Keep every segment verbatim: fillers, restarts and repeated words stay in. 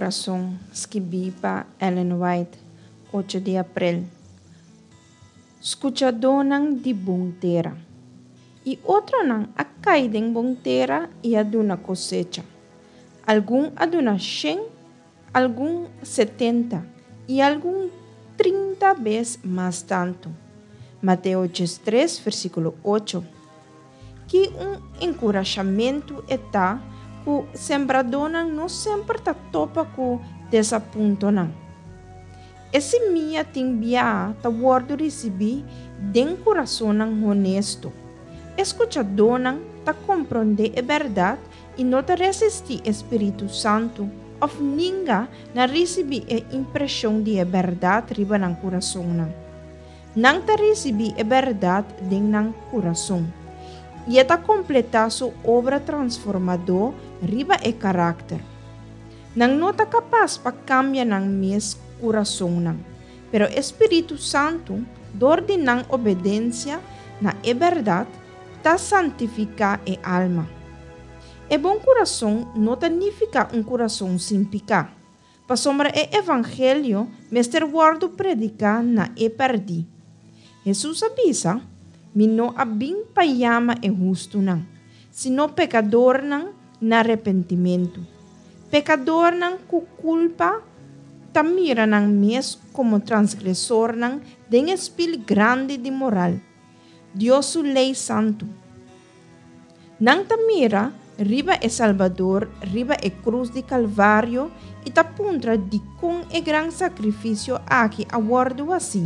Kurason, skibí pa Ellen White, ocho di aprel. Skuchadónan di bon tera. I otronan a kai den bon tera i a duna kosecha. Algun a duna shen, algun setenta i algun trinta bes mas tantu. Mateo diestres, versíkulo ocho. Ki un enkurashamentu e ta ku sembradónan no semper ta topa ku desapuntonan. E simia tin bia ta wòrdu risibí den kurasonnan honesto. E skuchadónan ta komprondé e bèrdat i no ta resistí e Spiritu Santu òf ninga na risibí e impreshon di e bèrdat riba nan kurasonnan. Nan ta risibí e bèrdat den nan kurason, i e ta kompletá su obra transformadó riba e karakter. Nan no ta kapas pa kambia nan mes kurasonnan, pero e Spiritu Santu, dor di nan obedensia na e bèrdat, ta santifiká e alma. E bon kurason no ta nifiká un kurason sin piká, pasobra e evangelio mester wòrdu prediká na e pèrdí. Hesus a bisa, Mi no a bin pa yama e hustunan, sino pekadornan na repentimentu. Pekadornan ku kulpa ta mira nan mes komo transgresornan den e spil grandi di moral, Dios su lei santu. Nan ta mira riba e Salbador riba e krus di Kalvario i ta puntra dikon e gran sakrifisio aki a wòrdu hasí.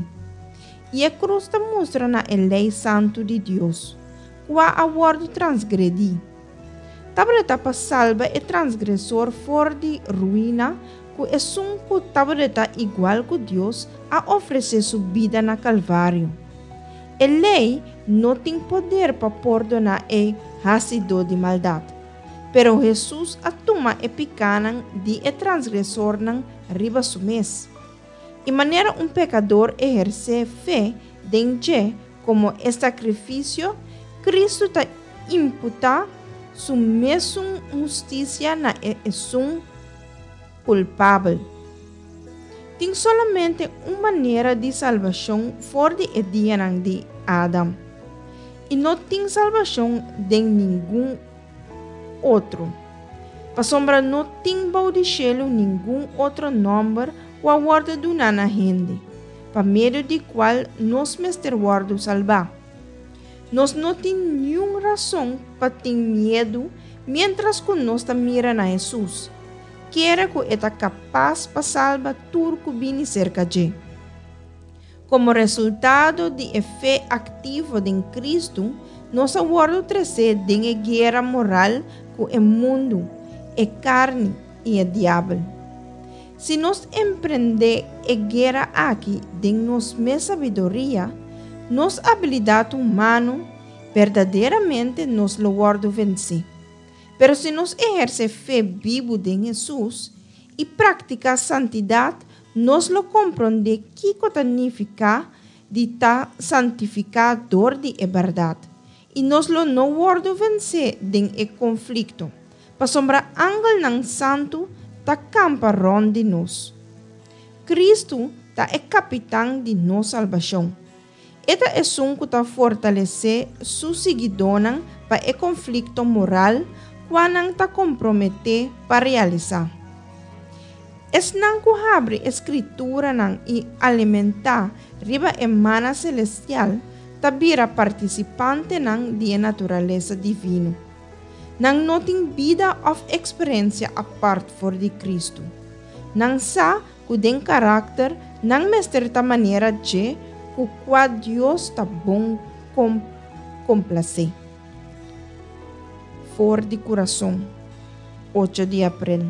I e krus ta mustra na e lei santu di Dios, kua a wòrdu transgredí. Tabata pa salba e transgresor for di ruina ku esun ku tabata igual ku Dios a ofresé su bida na Kalvario. E lei no tin poder pa pordoná e hasidó di maldat, pero Hesus a tuma e pikánan di e transgresornan riba su mes. I manera un pekador ehersé fe den dje komo e sakrifisio, Kristu ta imputá su mesun hustisia na e esun kulpabel. Tin solamente un manera di salbashon for di e dianan di Adam, i no tin salbashon den ningun otro. Pasobra no tin bou di shelu ningun otro nòmber ku a wòrdu duná na hende, pa medio di kual nos mester wòrdu salbá. Nos no tin niun rason pa tin miedu miéntras ku nos ta mira na Hesus, kere ku e ta kapas pa salba tur ku bini serka dje. Komo resultado di e fe aktivo den Kristu, nos a wòrdu tresé den e guera moral ku e mundu, e karni i e diabel. Si nos emprendé e guera aki den nos mes sabiduria, nos abilidat humano, berdaderamente nos lo wòrdu vensé. Pero si nos ehersé fe bibu den Hesus i praktiká santidat, nos lo komprondé kiko ta nifiká di ta santifiká dor di e bèrdat, i nos lo no wòrdu vensé den e konflikto, pasobra angelnan santu ta kampa rònt di nos. Kristu ta e kapitan di nos salbashon. E ta esun ku ta fortalesé su siguidónan pa e konflikto moral kua nan ta komprometé pa realisá. Esnan ku habri e Skrituranan i alimentá riba e mana selestial ta bira partisipantenan di e naturalesa divino. Nan no tin bida òf eksperensia apart for di Kristu. Nan sa ku den karakter nan mester ta manera dje ku kua Dios ta bon komplasé. For di Kurason, ocho di aprel.